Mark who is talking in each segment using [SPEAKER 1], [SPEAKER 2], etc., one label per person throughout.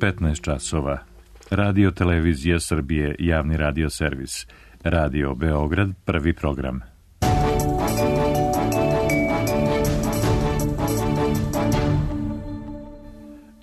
[SPEAKER 1] 15 časova. Radio Televizija Srbije, javni radio servis. Radio Beograd, prvi program.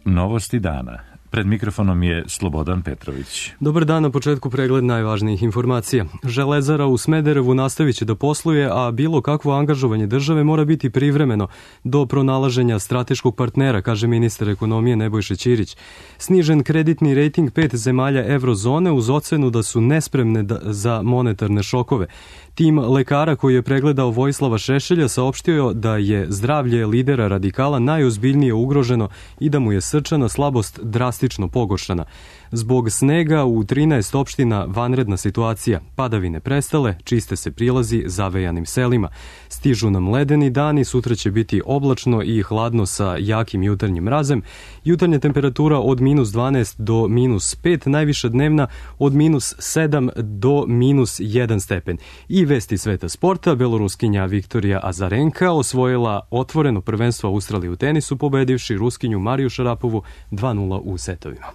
[SPEAKER 1] Novosti dana. Pred mikrofonom je Slobodan Petrović.
[SPEAKER 2] Dobar dan, na početku pregled najvažnijih informacija. Železara u Smederevu nastavit će da posluje, a bilo kakvo angažovanje države mora biti privremeno do pronalaženja strateškog partnera, kaže ministar ekonomije Nebojša Ćirić. Snižen kreditni rejting 5 zemalja eurozone uz ocenu da su nespremne za monetarne šokove. Tim lekara koji je pregledao Vojislava Šešelja saopštio da je zdravlje lidera radikala najozbiljnije ugroženo i da mu je srčana slabost drastično pogoršana. Zbog snega u 13 opština vanredna situacija. Padavine prestale, čiste se prilazi zavejanim selima. Stižu nam ledeni dani, sutra će biti oblačno i hladno sa jakim jutarnjim mrazem. Jutarnja temperatura od minus 12 do minus 5, najviša dnevna od minus 7 do minus 1 stepen. I vesti sveta sporta, beloruskinja Viktorija Azarenka osvojila otvoreno prvenstvo Australije u tenisu, pobedivši Ruskinju Mariju Šarapovu 2:0 u setovima.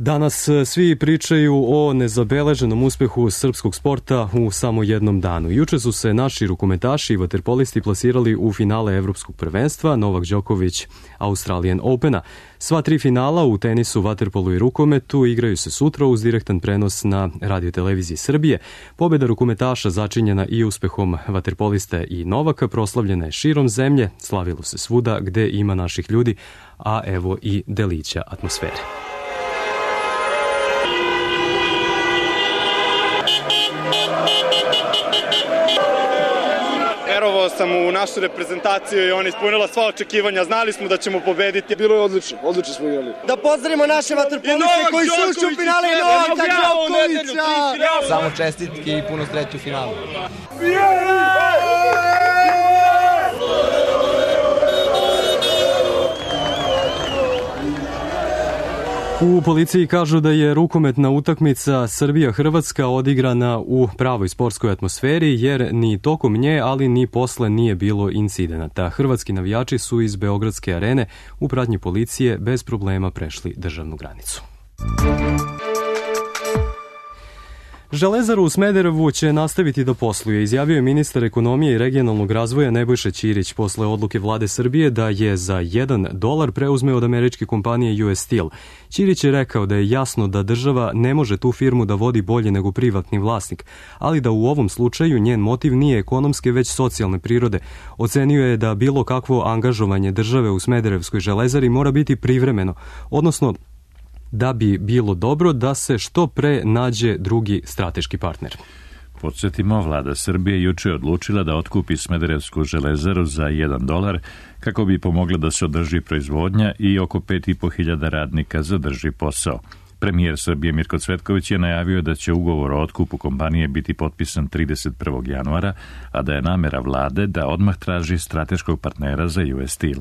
[SPEAKER 2] Danas svi pričaju o nezabeleženom uspehu srpskog sporta u samo jednom danu. Juče su se naši rukometaši i vaterpolisti plasirali u finale Evropskog prvenstva, Novak Đoković Australian Opena. Sva tri finala u tenisu, vaterpolu i rukometu igraju se sutra uz direktan prenos na Radio Televiziji Srbije. Pobjeda rukometaša začinjena i uspehom vaterpolista i Novaka proslavljena je širom zemlje, slavilo se svuda gde ima naših ljudi, a evo i delića atmosfere.
[SPEAKER 3] Verovao sam u našu reprezentaciju i ona ispunila sva očekivanja. Znali smo da ćemo pobediti.
[SPEAKER 4] Bilo je odlično smo igrali.
[SPEAKER 5] Da pozdravimo naše vaterpoliste koji su ušli u finale i Novaka Đokovića.
[SPEAKER 6] Samo čestitke i puno sreće u finalu.
[SPEAKER 2] U policiji kažu da je rukometna utakmica Srbija-Hrvatska odigrana u pravoj sportskoj atmosferi, jer ni tokom nje, ali ni posle nije bilo incidenata. Hrvatski navijači su iz Beogradske arene u pratnji policije bez problema prešli državnu granicu. Železaru u Smederevu će nastaviti da posluje, izjavio je ministar ekonomije i regionalnog razvoja Nebojša Ćirić posle odluke vlade Srbije da je za $1 preuzme od američke kompanije US Steel. Ćirić je rekao da je jasno da država ne može tu firmu da vodi bolje nego privatni vlasnik, ali da u ovom slučaju njen motiv nije ekonomske već socijalne prirode. Ocenio je da bilo kakvo angažovanje države u Smederevskoj železari mora biti privremeno, odnosno da bi bilo dobro da se što pre nađe drugi strateški partner.
[SPEAKER 1] Podsjetimo, vlada Srbije juče je odlučila da otkupi Smederevsku železaru za $1 kako bi pomogla da se održi proizvodnja i oko 5.500 radnika zadrži posao. Premijer Srbije Mirko Cvetković je najavio da će ugovor o otkupu kompanije biti potpisan 31. januara, a da je namera vlade da odmah traži strateškog partnera za US Steel.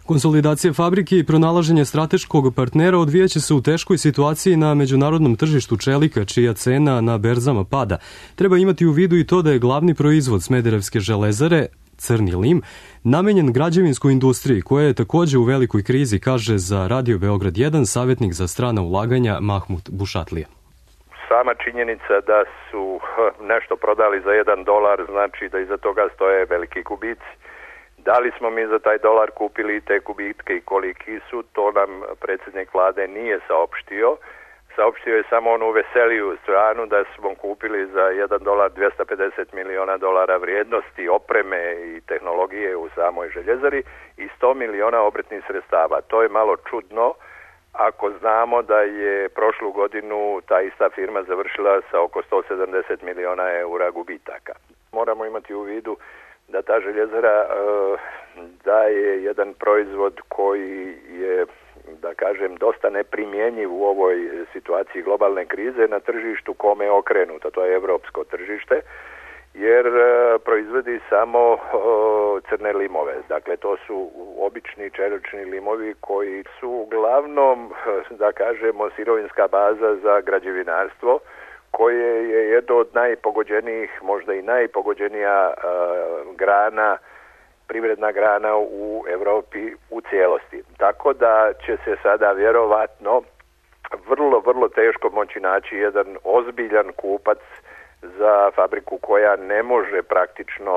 [SPEAKER 2] Konsolidacija fabrike i pronalaženje strateškog partnera odvijaće se u teškoj situaciji na međunarodnom tržištu čelika, čija cena na berzama pada. Treba imati u vidu i to da je glavni proizvod Smederevske železare, crni lim, namenjen građevinskoj industriji, koja je takođe u velikoj krizi, kaže za Radio Beograd 1 savjetnik za strana ulaganja Mahmut Bušatlija.
[SPEAKER 7] Sama činjenica da su nešto prodali za $1 znači da iza toga stoje veliki gubici. Da li smo mi za taj dolar kupili te gubitke i koliki su, to nam predsjednik vlade nije saopštio. Saopštio je samo onu veseliju stranu da smo kupili za $1 $250 miliona vrijednosti opreme i tehnologije u samoj željezari i 100 miliona obrtnih sredstava. To je malo čudno ako znamo da je prošlu godinu ta ista firma završila sa oko 170 miliona eura gubitaka. Moramo imati u vidu da ta željezara daje jedan proizvod koji je, da kažem, dosta neprimjenjiv u ovoj situaciji globalne krize na tržištu kome je okrenuto, to je evropsko tržište, jer proizvodi samo crne limove. Dakle, to su obični čelični limovi koji su uglavnom, da kažemo, sirovinska baza za građevinarstvo, koje je jedno od najpogođenijih, možda i najpogođenija grana privredna grana u Evropi u cijelosti. Tako da će se sada vjerovatno vrlo teško moći naći jedan ozbiljan kupac za fabriku koja ne može praktično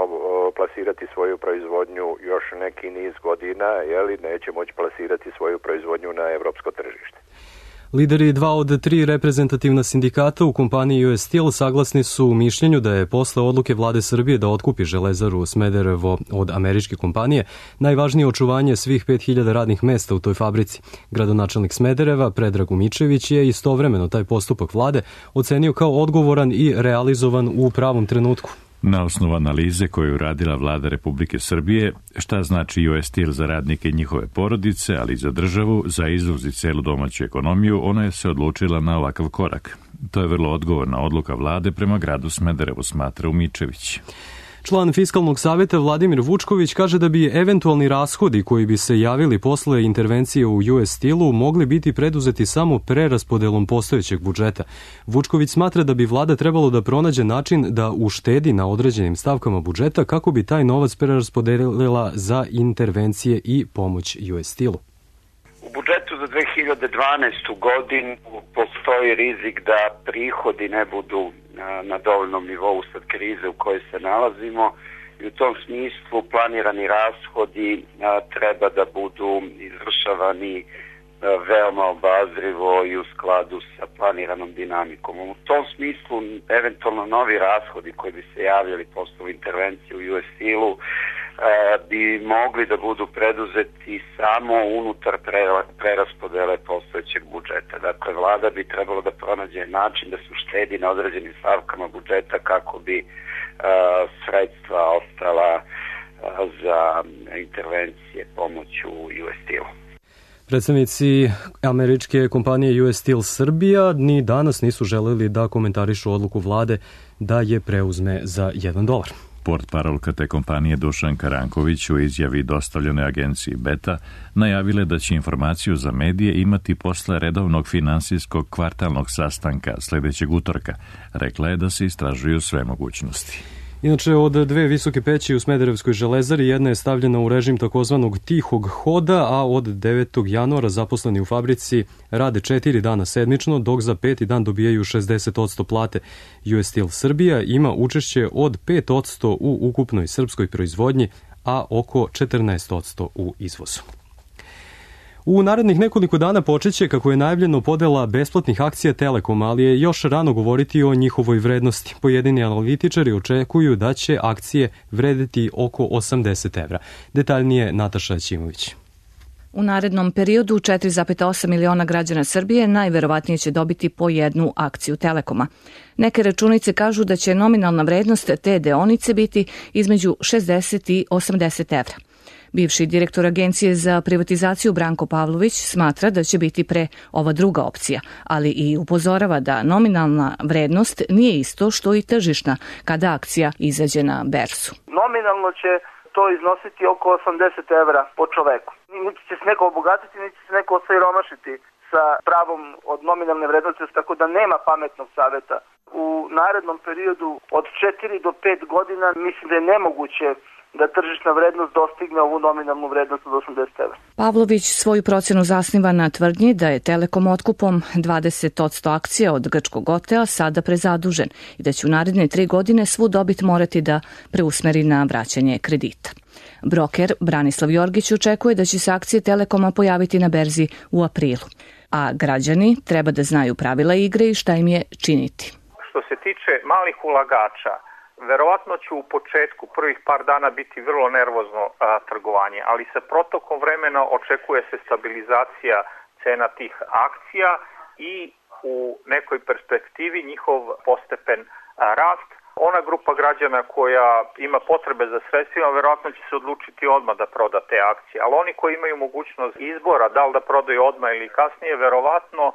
[SPEAKER 7] plasirati svoju proizvodnju još neki niz godina, neće moći plasirati svoju proizvodnju na evropsko tržište.
[SPEAKER 2] Lideri 2 od 3 reprezentativna sindikata u kompaniji US Steel saglasni su u mišljenju da je posle odluke vlade Srbije da otkupi Železaru Smederevo od američke kompanije najvažnije očuvanje svih 5000 radnih mesta u toj fabrici. Gradonačelnik Smedereva, Predrag Umičević, je istovremeno taj postupak vlade ocenio kao odgovoran i realizovan u pravom trenutku.
[SPEAKER 1] Na osnovu analize koju je uradila vlada Republike Srbije, šta znači US Steel za radnike i njihove porodice, ali i za državu, za izvoz i celu domaću ekonomiju, ona je se odlučila na ovakav korak. To je vrlo odgovorna odluka vlade prema gradu Smederevu, smatra Umičević.
[SPEAKER 2] Član Fiskalnog savjeta Vladimir Vučković kaže da bi eventualni rashodi koji bi se javili posle intervencije u US Steelu mogli biti preduzeti samo preraspodelom postojećeg budžeta. Vučković smatra da bi vlada trebalo da pronađe način da uštedi na određenim stavkama budžeta kako bi taj novac preraspodelila za intervencije i pomoć US Steelu.
[SPEAKER 4] U budžetu za 2012. godinu postoji rizik da prihodi ne budu na dovoljnom nivou sad krize u kojoj se nalazimo i u tom smislu planirani rashodi treba da budu izvršavani veoma obazrivo i u skladu sa planiranom dinamikom. U tom smislu eventualno novi rashodi koji bi se javljali posle intervencije u US Steelu bi mogli da budu preduzeti samo unutar preraspodele postojećeg budžeta. Dakle, vlada bi trebalo da pronađe način da se uštedi na određenim stavkama budžeta kako bi sredstva ostala za intervencije pomoću US Steelu.
[SPEAKER 2] Predstavnici američke kompanije US Steel Srbija ni danas nisu želeli da komentarišu odluku vlade da je preuzme za $1.
[SPEAKER 1] Portparolka te kompanije Dušan Karanković u izjavi dostavljenoj agenciji Beta najavile da će informaciju za medije imati posle redovnog finansijskog kvartalnog sastanka sljedećeg utorka. Rekla je da se istražuju sve mogućnosti.
[SPEAKER 2] Inače, od 2 visoke peći u Smederevskoj železari jedna je stavljena u režim takozvanog tihog hoda, a od 9. januara zaposleni u fabrici rade 4 dana sedmično, dok za 5. dan dobijaju 60% plate. US Steel Srbija ima učešće od 5% u ukupnoj srpskoj proizvodnji, a oko 14% u izvozu. U narednih nekoliko dana počeće, kako je najavljeno, podela besplatnih akcija Telekoma, ali je još rano govoriti o njihovoj vrednosti. Pojedini analitičari očekuju da će akcije vredeti oko 80 evra. Detaljnije Nataša Ćimović.
[SPEAKER 8] U narednom periodu 4,8 miliona građana Srbije najverovatnije će dobiti po jednu akciju Telekoma. Neke računice kažu da će nominalna vrednost te deonice biti između 60 i 80 evra. Bivši direktor Agencije za privatizaciju Branko Pavlović smatra da će biti pre ova druga opcija, ali i upozorava da nominalna vrednost nije isto što i tržišna kada akcija izađe na berzu.
[SPEAKER 9] Nominalno će to iznositi oko 80 evra po čoveku. Niti će se neko obogatiti, niti će se neko osiromašiti sa pravom od nominalne vrednosti, tako da nema pametnog saveta. U narednom periodu od 4 do 5 godina mislim da je nemoguće da tržišna vrednost dostigne ovu nominalnu vrednost od 80 evra.
[SPEAKER 8] Pavlović svoju procenu zasniva na tvrdnji da je Telekom otkupom 20% akcija od grčkog Otea sada prezadužen i da će u naredne 3 godine svu dobit morati da preusmeri na vraćanje kredita. Broker Branislav Jorgić očekuje da će se akcije Telekoma pojaviti na berzi u aprilu, a građani treba da znaju pravila igre i šta im je činiti.
[SPEAKER 10] Što se tiče malih ulagača, verovatno će u početku prvih par dana biti vrlo nervozno trgovanje, ali sa protokom vremena očekuje se stabilizacija cena tih akcija i u nekoj perspektivi njihov postepen rast. Ona grupa građana koja ima potrebe za sredstvima verovatno će se odlučiti odmah da proda te akcije, ali oni koji imaju mogućnost izbora da li da prodaju odmah ili kasnije, verovatno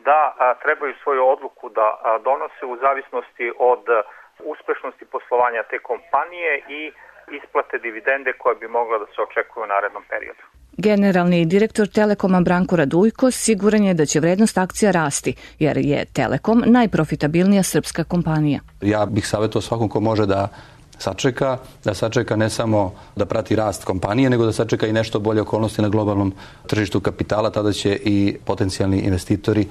[SPEAKER 10] da trebaju svoju odluku da donose u zavisnosti od uspešnosti poslovanja te kompanije i isplate dividende koja bi mogla da se očekuje u narednom periodu.
[SPEAKER 8] Generalni direktor Telekoma Branko Radujko siguran je da će vrednost akcija rasti, jer je Telekom najprofitabilnija srpska kompanija.
[SPEAKER 11] Ja bih savjetovao svakom ko može da sačeka, da sačeka ne samo da prati rast kompanije, nego da sačeka i nešto bolje okolnosti na globalnom tržištu kapitala, tada će i potencijalni investitori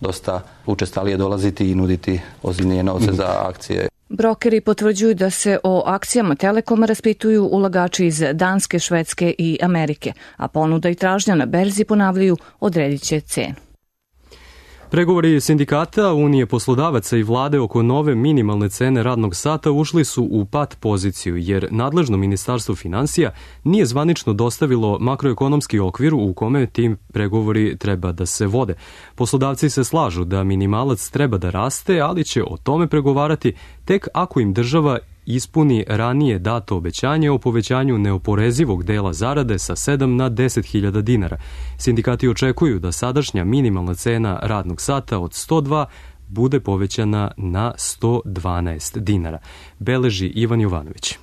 [SPEAKER 11] dosta učestalije dolaziti i nuditi ozbiljnije novce za akcije.
[SPEAKER 8] Brokeri potvrđuju da se o akcijama Telekoma raspituju ulagači iz Danske, Švedske i Amerike, a ponuda i tražnja na berzi, ponavljaju, odredit će cenu.
[SPEAKER 2] Pregovori sindikata, Unije poslodavaca i vlade oko nove minimalne cene radnog sata ušli su u pat poziciju, jer nadležno Ministarstvo finansija nije zvanično dostavilo makroekonomski okvir u kome tim pregovori treba da se vode. Poslodavci se slažu da minimalac treba da raste, ali će o tome pregovarati tek ako im država ispuni ranije dato obećanje o povećanju neoporezivog dela zarade sa 7 na 10.000 dinara. Sindikati očekuju da sadašnja minimalna cena radnog sata od 102 bude povećana na 112 dinara. Beleži Ivan Jovanović.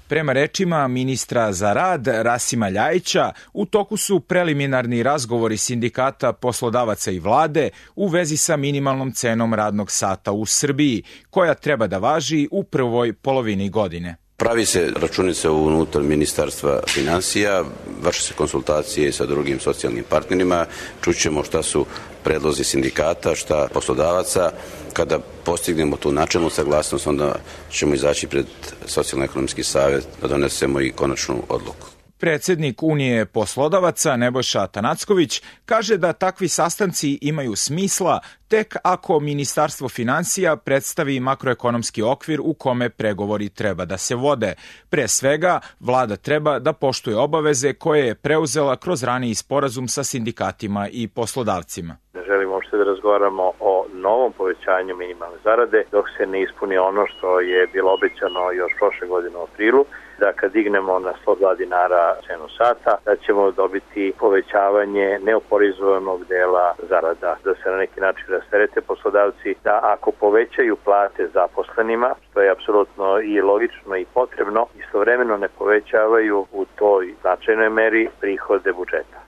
[SPEAKER 12] Prema rečima ministra za rad Rasima Ljajića, u toku su preliminarni razgovori sindikata, poslodavaca i vlade u vezi sa minimalnom cenom radnog sata u Srbiji, koja treba da važi u prvoj polovini godine.
[SPEAKER 13] Pravi se računica unutar Ministarstva finansija, vrše se konsultacije sa drugim socijalnim partnerima, čućemo šta su predlozi sindikata, šta poslodavaca. Kada postignemo tu načelnu saglasnost, onda ćemo izaći pred Socijalno-ekonomski savet da donesemo i konačnu odluku.
[SPEAKER 12] Predsednik Unije poslodavaca Nebojša Tanacković kaže da takvi sastanci imaju smisla tek ako Ministarstvo finansija predstavi makroekonomski okvir u kome pregovori treba da se vode. Pre svega, vlada treba da poštuje obaveze koje je preuzela kroz raniji sporazum sa sindikatima i poslodavcima.
[SPEAKER 14] Ne želimo uopšte da razgovaramo o novom povećanju minimalne zarade dok se ne ispuni ono što je bilo obećano još prošle godine u aprilu, da kad dignemo na 102 dinara cenu sata, da ćemo dobiti povećavanje neoporezovanog dela zarada, da se na neki način rasterete poslodavci, da ako povećaju plate zaposlenima, što je apsolutno i logično i potrebno, istovremeno ne povećavaju u toj značajnoj meri prihode budžeta.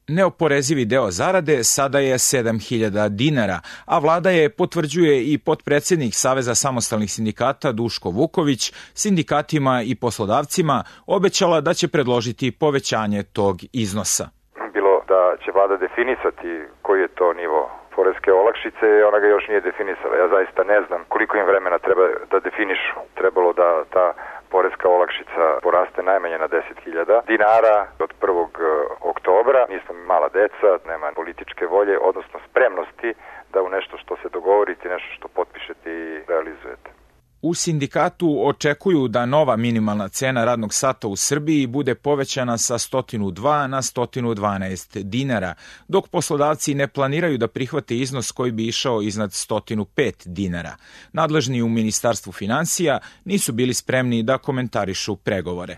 [SPEAKER 12] Neoporezivi deo zarade sada je 7.000 dinara, a vlada je, potvrđuje i potpredsednik Saveza samostalnih sindikata Duško Vuković, sindikatima i poslodavcima obećala da će predložiti povećanje tog iznosa.
[SPEAKER 15] Bilo da će vlada definisati koji je to nivo poreske olakšice, ona ga još nije definisala. Ja zaista ne znam koliko im vremena treba da definišu. Trebalo da ta poreska olakšica poraste najmanje na 10.000 dinara od 1. oktobra. Mi smo mala deca, nema političke volje, odnosno spremnosti da u nešto što se dogovorite, nešto što potpišete i realizujete.
[SPEAKER 12] U sindikatu očekuju da nova minimalna cena radnog sata u Srbiji bude povećana sa 102 na 112 dinara, dok poslodavci ne planiraju da prihvate iznos koji bi išao iznad 105 dinara. Nadležni u Ministarstvu finansija nisu bili spremni da komentarišu pregovore.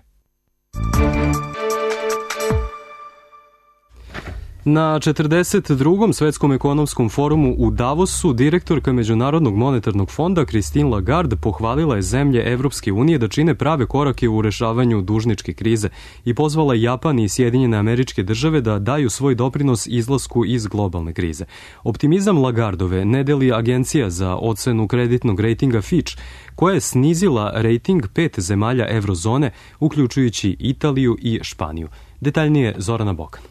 [SPEAKER 2] Na 42. svetskom ekonomskom forumu u Davosu direktorka Međunarodnog monetarnog fonda Christine Lagarde pohvalila je zemlje Evropske unije da čine prave korake u rešavanju dužničke krize i pozvala Japan i Sjedinjene Američke Države da daju svoj doprinos izlasku iz globalne krize. Optimizam Lagardove ne deli Agencija za ocenu kreditnog rejtinga Fitch, koja je snizila rejting 5 zemalja eurozone, uključujući Italiju i Španiju. Detaljnije Zorana Bokan.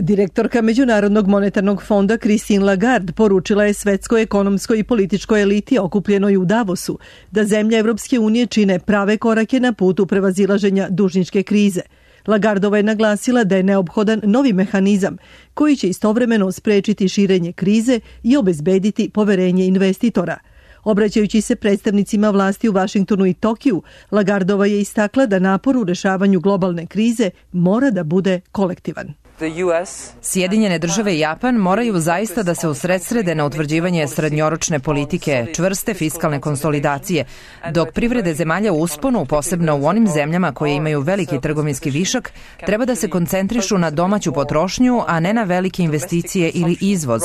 [SPEAKER 16] Direktorka Međunarodnog monetarnog fonda Christine Lagarde poručila je svetskoj ekonomskoj i političkoj eliti okupljenoj u Davosu da zemlje Evropske unije čine prave korake na putu prevazilaženja dužničke krize. Lagardova je naglasila da je neophodan novi mehanizam koji će istovremeno sprečiti širenje krize i obezbediti poverenje investitora. Obraćajući se predstavnicima vlasti u Vašingtonu i Tokiju, Lagardova je istakla da napor u rešavanju globalne krize mora da bude kolektivan.
[SPEAKER 17] Sjedinjene države i Japan moraju zaista da se usredsrede na utvrđivanje srednjoročne politike, čvrste fiskalne konsolidacije, dok privrede zemalja u usponu, posebno u onim zemljama koje imaju veliki trgovinski višak, treba da se koncentrišu na domaću potrošnju, a ne na velike investicije ili izvoz.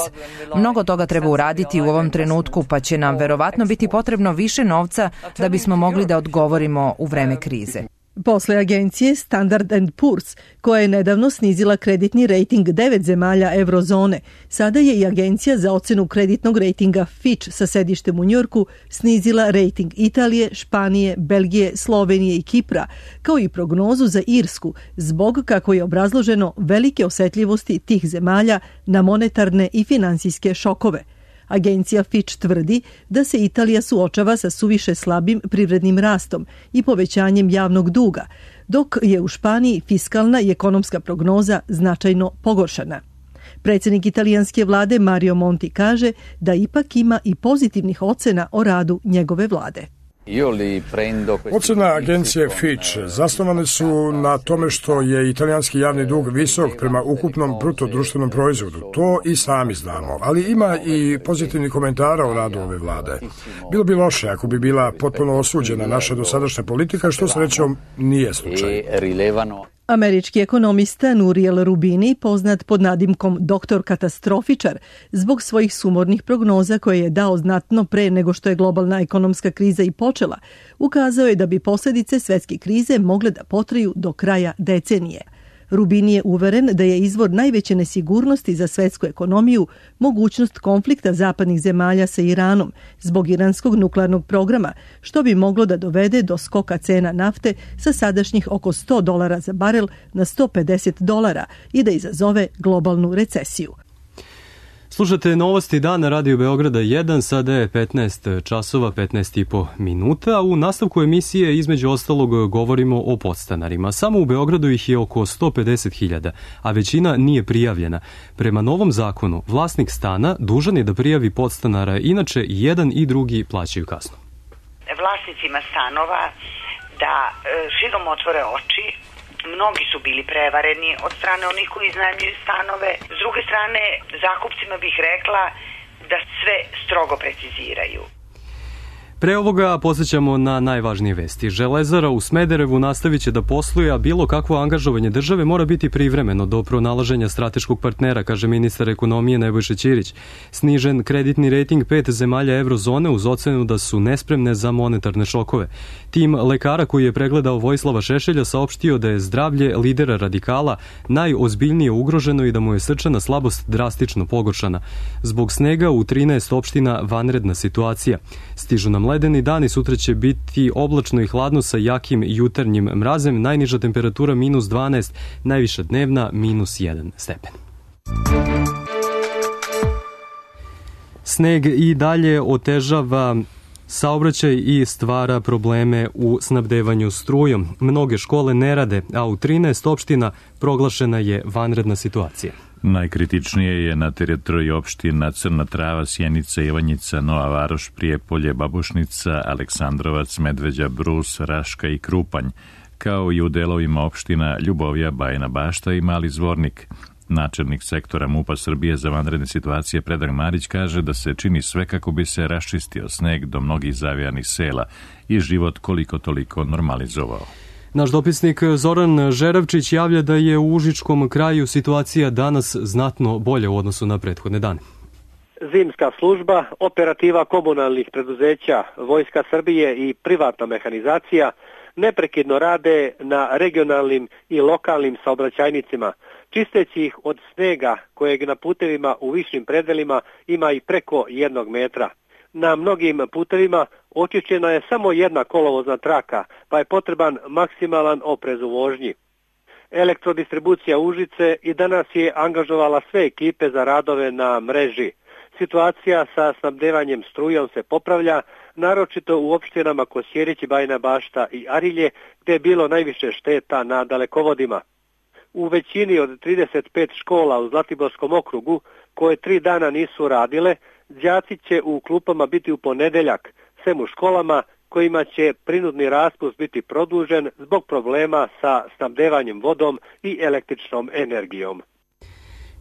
[SPEAKER 17] Mnogo toga treba uraditi u ovom trenutku, pa će nam verovatno biti potrebno više novca da bismo mogli da odgovorimo u vreme krize.
[SPEAKER 16] Posle agencije Standard & Poor's, koja je nedavno snizila kreditni rejting 9 zemalja eurozone, sada je i agencija za ocenu kreditnog rejtinga Fitch sa sedištem u Njujorku snizila rejting Italije, Španije, Belgije, Slovenije i Kipra, kao i prognozu za Irsku, zbog, kako je obrazloženo, velike osetljivosti tih zemalja na monetarne i finansijske šokove. Agencija Fitch tvrdi da se Italija suočava sa suviše slabim privrednim rastom i povećanjem javnog duga, dok je u Španiji fiskalna i ekonomska prognoza značajno pogoršana. Predsjednik italijanske vlade Mario Monti kaže da ipak ima i pozitivnih ocena o radu njegove vlade.
[SPEAKER 18] Ocena agencije Fitch zasnovane su na tome što je italijanski javni dug visok prema ukupnom bruto društvenom proizvodu. To i sami znamo, ali ima i pozitivni komentara o radu ove vlade. Bilo bi loše ako bi bila potpuno osuđena naša dosadašnja politika, što srećom nije slučaj.
[SPEAKER 16] Američki ekonomista Nouriel Roubini, poznat pod nadimkom doktor katastrofičar, zbog svojih sumornih prognoza koje je dao znatno pre nego što je globalna ekonomska kriza i počela, ukazao je da bi posljedice svetske krize mogle da potraju do kraja decenije. Rubini je uveren da je izvor najveće nesigurnosti za svetsku ekonomiju mogućnost konflikta zapadnih zemalja sa Iranom zbog iranskog nuklearnog programa, što bi moglo da dovede do skoka cena nafte sa sadašnjih oko $100 za barel na $150 i da izazove globalnu recesiju.
[SPEAKER 2] Slušate novosti dana Radio Beograda 1, sada je 15 časova, 15,5 minuta, a u nastavku emisije između ostalog govorimo o podstanarima. Samo u Beogradu ih je oko 150.000, a većina nije prijavljena. Prema novom zakonu, vlasnik stana dužan je da prijavi podstanara, inače i jedan i drugi plaćaju kaznu.
[SPEAKER 19] Vlasnicima stanova da širom otvore oči. Mnogi su bili prevareni od strane onih koji iznajmljuju stanove. S druge strane, zakupcima bih rekla da sve strogo preciziraju.
[SPEAKER 2] Pre ovoga posjećamo na najvažnije vesti. Železara u Smederevu nastavit će da posluje, a bilo kakvo angažovanje države mora biti privremeno do pronalaženja strateškog partnera, kaže ministar ekonomije Nebojša Ćirić. Snižen kreditni rejting 5 zemalja eurozone uz ocenu da su nespremne za monetarne šokove. Tim lekara koji je pregledao Vojislava Šešelja saopštio da je zdravlje lidera radikala najozbiljnije ugroženo i da mu je srčana slabost drastično pogoršana. Zbog snega u 13 opština vanredna situacija. Stižu nam ledeni dani, sutra će biti oblačno i hladno sa jakim jutarnjim mrazem, najniža temperatura -12, najviša dnevna -1 stepen. Sneg i dalje otežava saobraćaj i stvara probleme u snabdevanju strujom. Mnoge škole ne rade, a u 13 opština proglašena je vanredna situacija.
[SPEAKER 1] Najkritičnije je na teritoriji opština Crna Trava, Sjenica, Ivanjica, Nova Varoš, Prijepolje, Babušnica, Aleksandrovac, Medveđa, Brus, Raška i Krupanj, kao i u delovima opština Ljubovija, Bajina Bašta i Mali Zvornik. Načelnik sektora MUP-a Srbije za vanredne situacije Predrag Marić kaže da se čini sve kako bi se raščistio sneg do mnogih zavijanih sela i život koliko toliko normalizovao.
[SPEAKER 2] Naš dopisnik Zoran Žeravčić javlja da je u Užičkom kraju situacija danas znatno bolja u odnosu na prethodne dane.
[SPEAKER 20] Zimska služba, operativa komunalnih preduzeća, Vojska Srbije i privatna mehanizacija neprekidno rade na regionalnim i lokalnim saobraćajnicima, čisteći ih od snega kojeg na putevima u višim predelima ima i preko 1 metra. Na mnogim putevima očišćena je samo jedna kolovozna traka, pa je potreban maksimalan oprez u vožnji. Elektrodistribucija Užice i danas je angažovala sve ekipe za radove na mreži. Situacija sa snabdevanjem strujom se popravlja, naročito u opštinama Kosjerić, Bajina Bašta i Arilje, gdje je bilo najviše šteta na dalekovodima. U većini od 35 škola u Zlatiborskom okrugu, koje 3 dana nisu radile, đaci će u klupama biti u ponedeljak, sem u školama kojima će prinudni raspust biti produžen zbog problema sa snabdevanjem vodom i električnom energijom.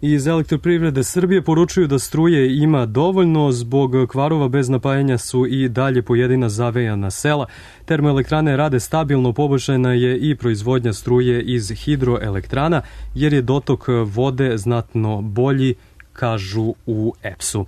[SPEAKER 2] Iz Elektroprivrede Srbije poručuju da struje ima dovoljno, zbog kvarova bez napajanja su i dalje pojedina zavejana sela. Termoelektrane rade stabilno, poboljšana je i proizvodnja struje iz hidroelektrana, jer je dotok vode znatno bolji, kažu u EPS-u.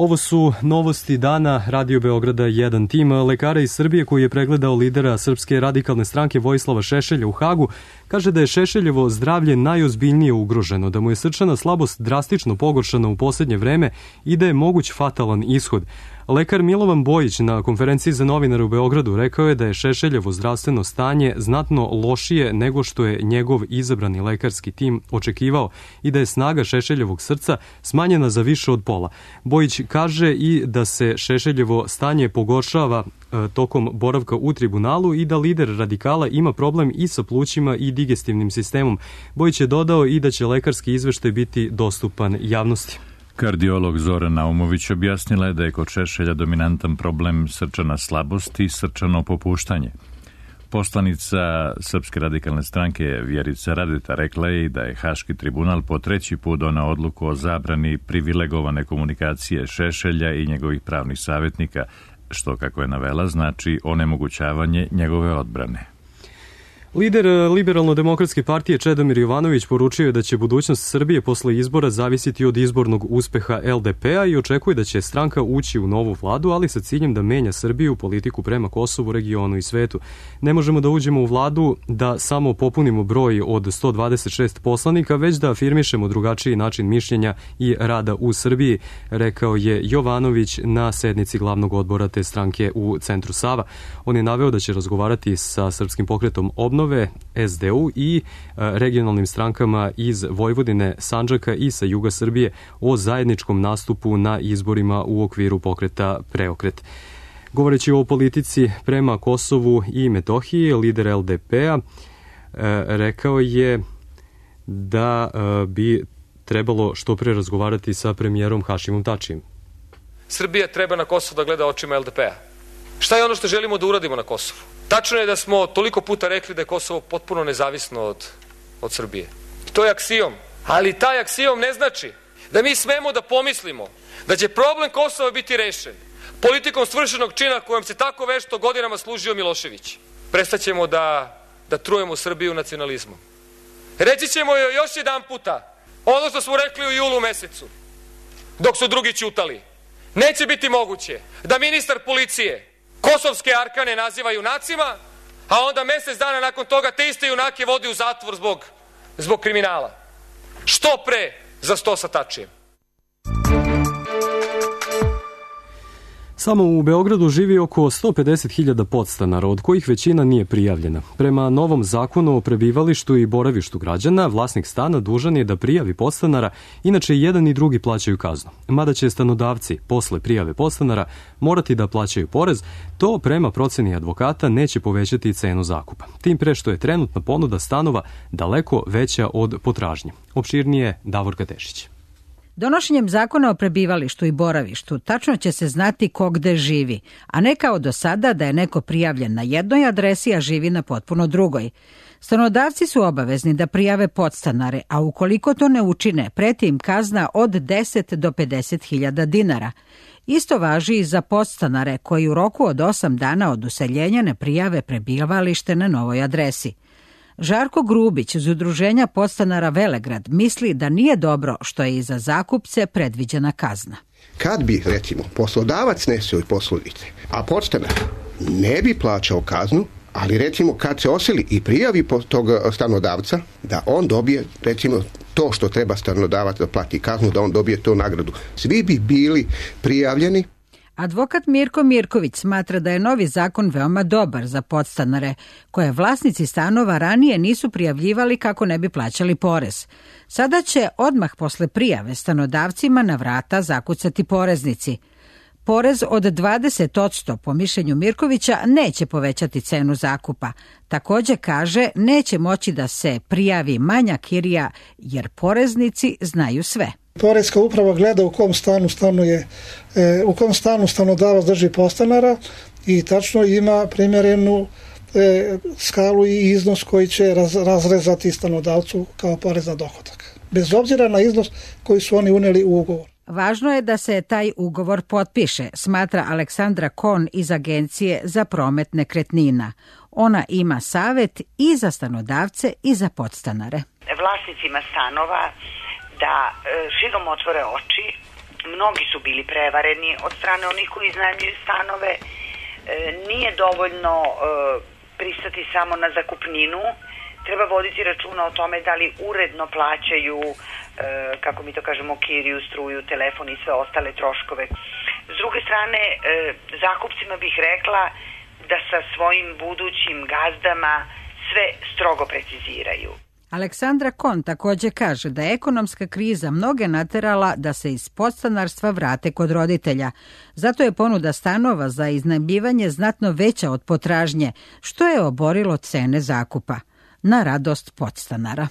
[SPEAKER 2] Ovo su novosti dana Radio Beograda 1. Tim lekara iz Srbije koji je pregledao lidera Srpske radikalne stranke Vojislava Šešelja u Hagu kaže da je Šešeljevo zdravlje najozbiljnije ugroženo, da mu je srčana slabost drastično pogoršana u posljednje vreme i da je moguć fatalan ishod. Lekar Milovan Bojić na konferenciji za novinare u Beogradu rekao je da je Šešeljevo zdravstveno stanje znatno lošije nego što je njegov izabrani lekarski tim očekivao i da je snaga Šešeljevog srca smanjena za više od pola. Bojić kaže i da se Šešeljevo stanje pogoršava tokom boravka u tribunalu i da lider radikala ima problem i sa plućima i digestivnim sistemom. Bojić je dodao i da će lekarski izveštaj biti dostupan javnosti.
[SPEAKER 1] Kardiolog Zoran Naumović objasnila je da je kod Šešelja dominantan problem srčana slabost i srčano popuštanje. Poslanica Srpske radikalne stranke Vjerica Radeta rekla je i da je Haški tribunal po 3. put doneo odluku o zabrani privilegovane komunikacije Šešelja i njegovih pravnih savjetnika, što, kako je navela, znači onemogućavanje njegove odbrane.
[SPEAKER 2] Lider Liberalno-demokratske partije Čedomir Jovanović poručio je da će budućnost Srbije posle izbora zavisiti od izbornog uspeha LDP-a i očekuje da će stranka ući u novu vladu, ali sa ciljem da menja Srbiju, politiku prema Kosovu, regionu i svetu. Ne možemo da uđemo u vladu da samo popunimo broj od 126 poslanika, već da afirmišemo drugačiji način mišljenja i rada u Srbiji, rekao je Jovanović na sednici glavnog odbora te stranke u centru Sava. On je naveo da će razgovarati sa Srpskim pokretom Obnove, SDU i regionalnim strankama iz Vojvodine, Sandžaka i sa juga Srbije o zajedničkom nastupu na izborima u okviru pokreta Preokret. Govoreći o politici prema Kosovu i Metohiji, lider LDP-a rekao je da bi trebalo što pre razgovarati sa premijerom Hašimom Tačijem.
[SPEAKER 21] Srbija treba na Kosovo da gleda očima LDP-a. Šta je ono što želimo da uradimo na Kosovu? Tačno je da smo toliko puta rekli da je Kosovo potpuno nezavisno od Srbije. To je aksijom. Ali taj aksijom ne znači da mi smemo da pomislimo da će problem Kosova biti rešen politikom svršenog čina kojom se tako vešto godinama služio Milošević. Prestaćemo da trujemo Srbiju nacionalizmom. Reći ćemo joj još jedan puta ono što smo rekli u julu mesecu, dok su drugi ćutali. Neće biti moguće da ministar policije kosovske arkane naziva junacima, a onda mjesec dana nakon toga te iste junake vodi u zatvor zbog kriminala. Što pre za 100 sa Tačijem.
[SPEAKER 2] Samo u Beogradu živi oko 150.000 podstanara, od kojih većina nije prijavljena. Prema novom zakonu o prebivalištu i boravištu građana, vlasnik stana dužan je da prijavi podstanara, inače i jedan i drugi plaćaju kaznu. Mada će stanodavci posle prijave podstanara morati da plaćaju porez, to prema proceni advokata neće povećati cenu zakupa. Tim pre što je trenutna ponuda stanova daleko veća od potražnje. Opširnije Davorka Tešić.
[SPEAKER 22] Donošenjem zakona o prebivalištu i boravištu tačno će se znati ko gde živi, a ne kao do sada da je neko prijavljen na jednoj adresi, a živi na potpuno drugoj. Stanodavci su obavezni da prijave podstanare, a ukoliko to ne učine, preti im kazna od 10 do 50.000 dinara. Isto važi i za podstanare koji u roku od 8 dana od useljenja ne prijave prebivalište na novoj adresi. Žarko Grubić iz udruženja podstanara Velegrad misli da nije dobro što je i za zakupce predviđena kazna.
[SPEAKER 23] Kad bi, recimo, poslodavac nesio poslovice, a podstanar ne bi plaćao kaznu, ali recimo kad se oseli i prijavi tog stanodavca, da on dobije, recimo, to što treba stanodavac da plati kaznu, da on dobije tu nagradu. Svi bi bili prijavljeni.
[SPEAKER 22] Advokat Mirko Mirković smatra da je novi zakon veoma dobar za podstanare, koje vlasnici stanova ranije nisu prijavljivali kako ne bi plaćali porez. Sada će odmah posle prijave stanodavcima na vrata zakucati poreznici. Porez od 20% po mišljenju Mirkovića neće povećati cenu zakupa. Također kaže neće moći da se prijavi manja kirija jer poreznici znaju sve.
[SPEAKER 24] Poreska uprava gleda u kom stanu stanodavac drži podstanara i tačno ima primjerenu skalu i iznos koji će razrezati stanodavcu kao porez na dohodak. Bez obzira na iznos koji su oni uneli u ugovor.
[SPEAKER 22] Važno je da se taj ugovor potpiše, smatra Aleksandra Kon iz Agencije za promet nekretnina. Ona ima savjet i za stanodavce i za podstanare.
[SPEAKER 19] Vlasnicima stanova da širom otvore oči. mnogi su bili prevareni od strane onih koji iznajmljuju stanove. Nije dovoljno pristati samo na zakupninu, treba voditi računa o tome da li uredno plaćaju, kako mi to kažemo, kiriju, struju, telefon i sve ostale troškove. S druge strane, zakupcima bih rekla da sa svojim budućim gazdama sve strogo preciziraju.
[SPEAKER 22] Aleksandra Kon takođe kaže da je ekonomska kriza mnoge naterala da se iz podstanarstva vrate kod roditelja. Zato je ponuda stanova za iznajmljivanje znatno veća od potražnje, što je oborilo cene zakupa. Na radost podstanara.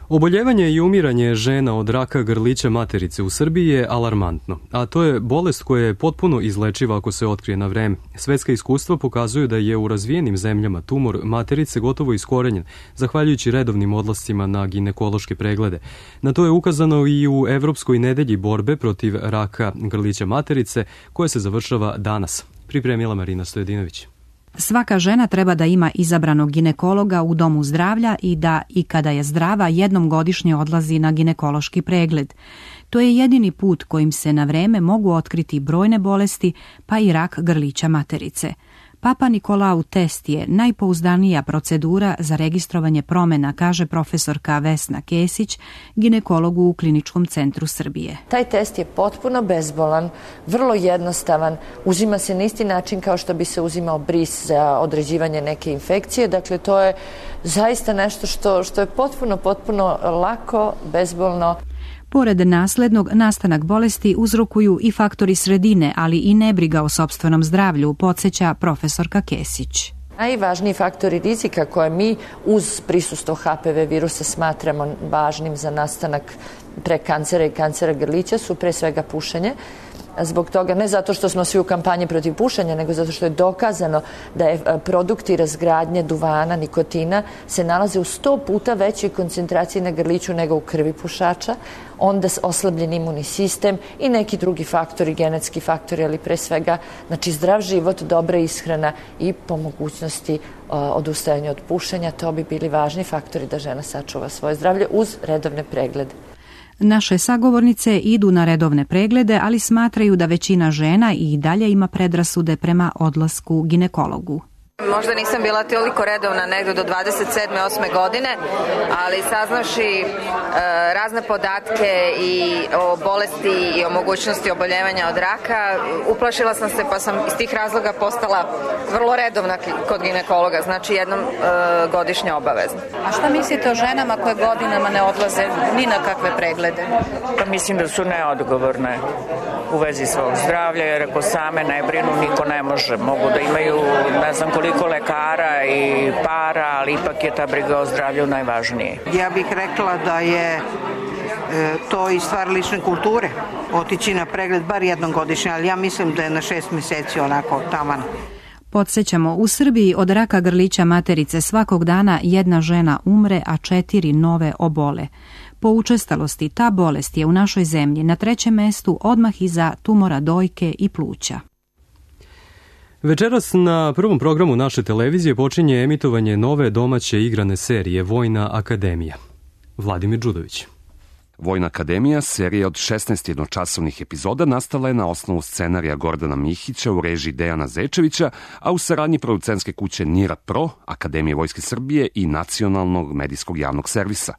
[SPEAKER 2] Oboljevanje i umiranje žena od raka grlića materice u Srbiji je alarmantno, a to je bolest koja je potpuno izlečiva ako se otkrije na vreme. Svetska iskustva pokazuju da je u razvijenim zemljama tumor materice gotovo iskorenjen, zahvaljujući redovnim odlascima na ginekološke preglede. Na to je ukazano i u Evropskoj nedelji borbe protiv raka grlića materice, koja se završava danas. Pripremila Marina Stojedinović.
[SPEAKER 3] Svaka žena treba da ima izabranog ginekologa u domu zdravlja i da, i kada je zdrava, jednom godišnje odlazi na ginekološki pregled. To je jedini put kojim se na vreme mogu otkriti brojne bolesti, pa i rak grlića materice. Papa Nikolau test je najpouzdanija procedura za registrovanje promena, kaže profesorka Vesna Kesić, ginekologu u Kliničkom centru Srbije.
[SPEAKER 5] Taj test je potpuno bezbolan, vrlo jednostavan, uzima se na isti način kao što bi se uzimao bris za određivanje neke infekcije, dakle to je zaista nešto što je potpuno lako, bezbolno.
[SPEAKER 3] Pored naslednog, nastanak bolesti uzrokuju i faktori sredine, ali i nebriga o sopstvenom zdravlju, podsjeća profesorka Kesić.
[SPEAKER 5] Najvažniji faktori rizika koje mi uz prisustvo HPV virusa smatramo važnim za nastanak prekancera i kancera grlića su pre svega pušenje. Zbog toga, ne zato što smo svi u kampanji protiv pušenja, nego zato što je dokazano da je produkti razgradnje duvana, nikotina, se nalaze u 100 puta većoj koncentraciji na grliću nego u krvi pušača, onda oslabljen imunni sistem i neki drugi faktori, genetski faktori, ali pre svega, znači zdrav život, dobra ishrana i po mogućnosti odustajanja od pušenja, to bi bili važni faktori da žena sačuva svoje zdravlje uz redovne preglede.
[SPEAKER 3] Naše sagovornice idu na redovne preglede, ali smatraju da većina žena i dalje ima predrasude prema odlasku ginekologu.
[SPEAKER 6] Možda nisam bila toliko redovna negdje do 27. 8. godine, ali saznavši razne podatke i o bolesti i o mogućnosti oboljevanja od raka, uplašila sam se pa sam iz tih razloga postala vrlo redovna kod ginekologa, znači jednom godišnje obavezno.
[SPEAKER 7] A šta mislite o ženama koje godinama ne odlaze ni na kakve preglede?
[SPEAKER 25] Pa mislim da su neodgovorne u vezi svog zdravlja, jer ako same ne brinu, niko ne može. Mogu da imaju ne znam koliko lekara i para, ali ipak je ta briga o zdravlju najvažnije.
[SPEAKER 26] Ja bih rekla da je to i stvar lične kulture, otići na pregled bar jednom godišnje, ali ja mislim da je na 6 mjeseci onako taman.
[SPEAKER 3] Podsjećamo, u Srbiji od raka grlića materice svakog dana jedna žena umre, a 4 nove obole. Po učestalosti ta bolest je u našoj zemlji na 3. mestu odmah iza tumora dojke i pluća.
[SPEAKER 2] Večeras na prvom programu naše televizije počinje emitovanje nove domaće igrane serije Vojna akademija. Vladimir Đudović.
[SPEAKER 27] Vojna akademija, serija od 16 jednočasovnih epizoda, nastala je na osnovu scenarija Gordana Mihića u režiji Dejana Zečevića, a u saradnji producentske kuće Nira Pro, Akademije Vojske Srbije i Nacionalnog medijskog javnog servisa.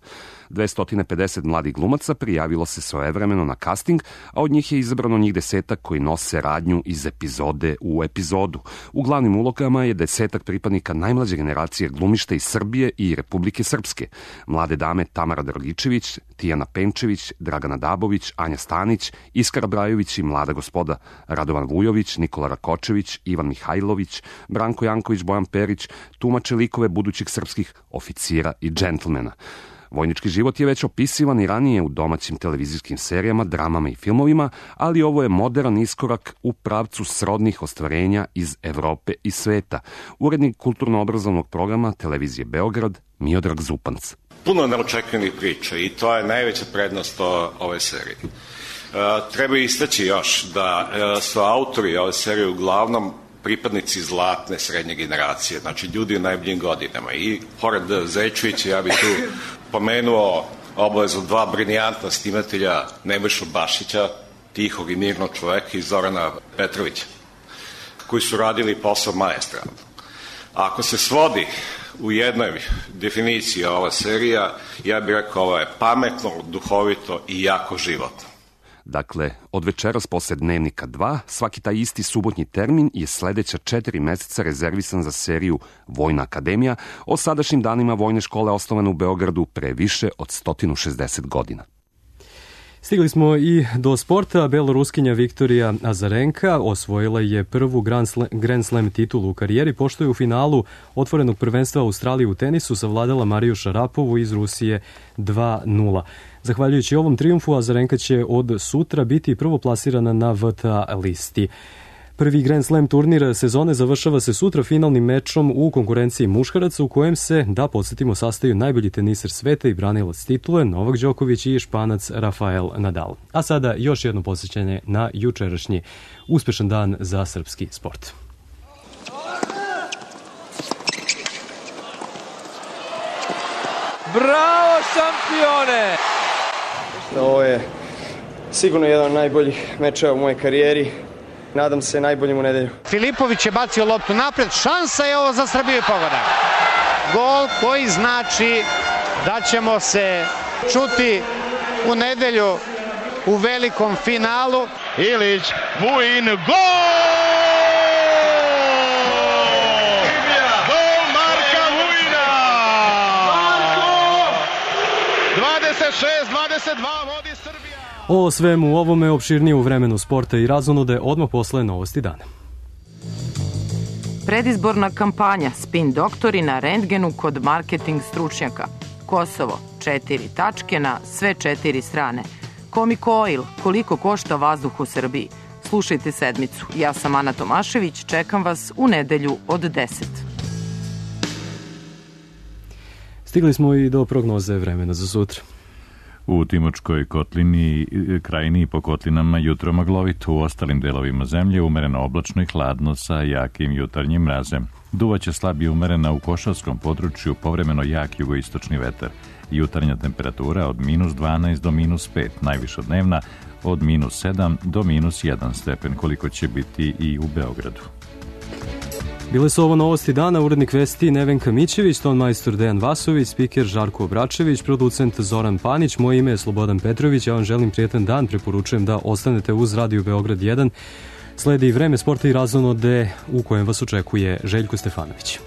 [SPEAKER 27] 250 mladih glumaca prijavilo se svojevremeno na casting, a od njih je izabrano njih 10 koji nose radnju iz epizode u epizodu. U glavnim ulogama je 10 pripadnika najmlađe generacije glumišta iz Srbije i Republike Srpske. Mlade dame Tamara Dragičević, Tijana Penčević, Dragana Dabović, Anja Stanić, Iskra Brajović i mlada gospoda Radovan Vujović, Nikola Rakočević, Ivan Mihajlović, Branko Janković, Bojan Perić, tumače likove budućih srpskih oficira i džentlmena. Vojnički život je već opisivan i ranije u domaćim televizijskim serijama, dramama i filmovima, ali ovo je moderan iskorak u pravcu srodnih ostvarenja iz Evrope i sveta. Urednik kulturno-obrazovnog programa televizije Beograd, Miodrag Zupanc.
[SPEAKER 28] Puno neočekivanih priča i to je najveća prednost ove serije. Treba istaći još da su autori ove serije uglavnom pripadnici zlatne srednje generacije, znači ljudi u najboljim godinama. I pored Zečevića ja bih tu pomenuo obavezu dva briljantna snimatelja Nebojšu Bašića, tihog i mirnog čoveka, i Zorana Petrovića, koji su radili posao maestralno. Ako se svodi u jednoj definiciji ova serija, ja bih rekao ovo je pametno, duhovito i jako životno.
[SPEAKER 27] Dakle, od večeras posle Dnevnika 2, svaki taj isti subotnji termin je sledeća 4 meseca rezervisan za seriju Vojna akademija o sadašnjim danima vojne škole osnovane u Beogradu pre više od 160 godina.
[SPEAKER 2] Stigli smo i do sporta. Beloruskinja Viktorija Azarenka osvojila je prvu Grand Slam titulu u karijeri, pošto je u finalu otvorenog prvenstva Australije u tenisu savladala Mariju Šarapovu iz Rusije 2-0. Zahvaljujući ovom trijumfu, Azarenka će od sutra biti prvoplasirana na VTA listi. Prvi Grand Slam turnir sezone završava se sutra finalnim mečom u konkurenciji muškaraca, u kojem se, da podsjetimo, sastaju najbolji teniser sveta i branilac titule Novak Đoković i Španac Rafael Nadal. A sada još jedno podsjećanje na jučerašnji uspešan dan za srpski sport.
[SPEAKER 4] Bravo šampione!
[SPEAKER 8] Ovo je sigurno jedan od najboljih mečeva u mojoj karijeri. Nadam se najboljim u nedelju.
[SPEAKER 9] Filipović je bacio loptu napred, šansa je ovo za Srbiju i pogodak. Gol koji znači da ćemo se čuti u nedelju u velikom finalu.
[SPEAKER 10] Ilić, Vujin, gol! Gol Marka Vujina! 26-22 vodi Srbija.
[SPEAKER 2] O svemu ovome opširnije u vremenu sporta i razonude odmah posle novosti dana.
[SPEAKER 17] Predizborna kampanja Spin doktori na rentgenu kod marketing stručnjaka. Kosovo, 4 tačke na sve 4 strane. Comic Oil, koliko košta vazduh u Srbiji. Slušajte sedmicu. Ja sam Ana Tomašević, čekam vas u nedelju od 10.
[SPEAKER 2] Stigli smo i do prognoze vremena za sutra.
[SPEAKER 1] U Timočkoj kotlini, krajini i po kotlinama jutro maglovito, u ostalim delovima zemlje umereno oblačno i hladno sa jakim jutarnjim mrazem. Duvaće slab i umerena u Košavskom području, povremeno jak jugoistočni vetar. Jutarnja temperatura od -12 do -5, najviša dnevna od -7 do -1 stepen, koliko će biti i u Beogradu.
[SPEAKER 2] Bile su ovo novosti dana, urednik vesti Nevenka Mićević, ton majstor Dejan Vasović, spiker Žarko Obračević, producent Zoran Panić, moje ime je Slobodan Petrović, ja vam želim prijetan dan, preporučujem da ostanete uz Radio Beograd 1. Sledi vreme sporta i razonode u kojem vas očekuje Željko Stefanović.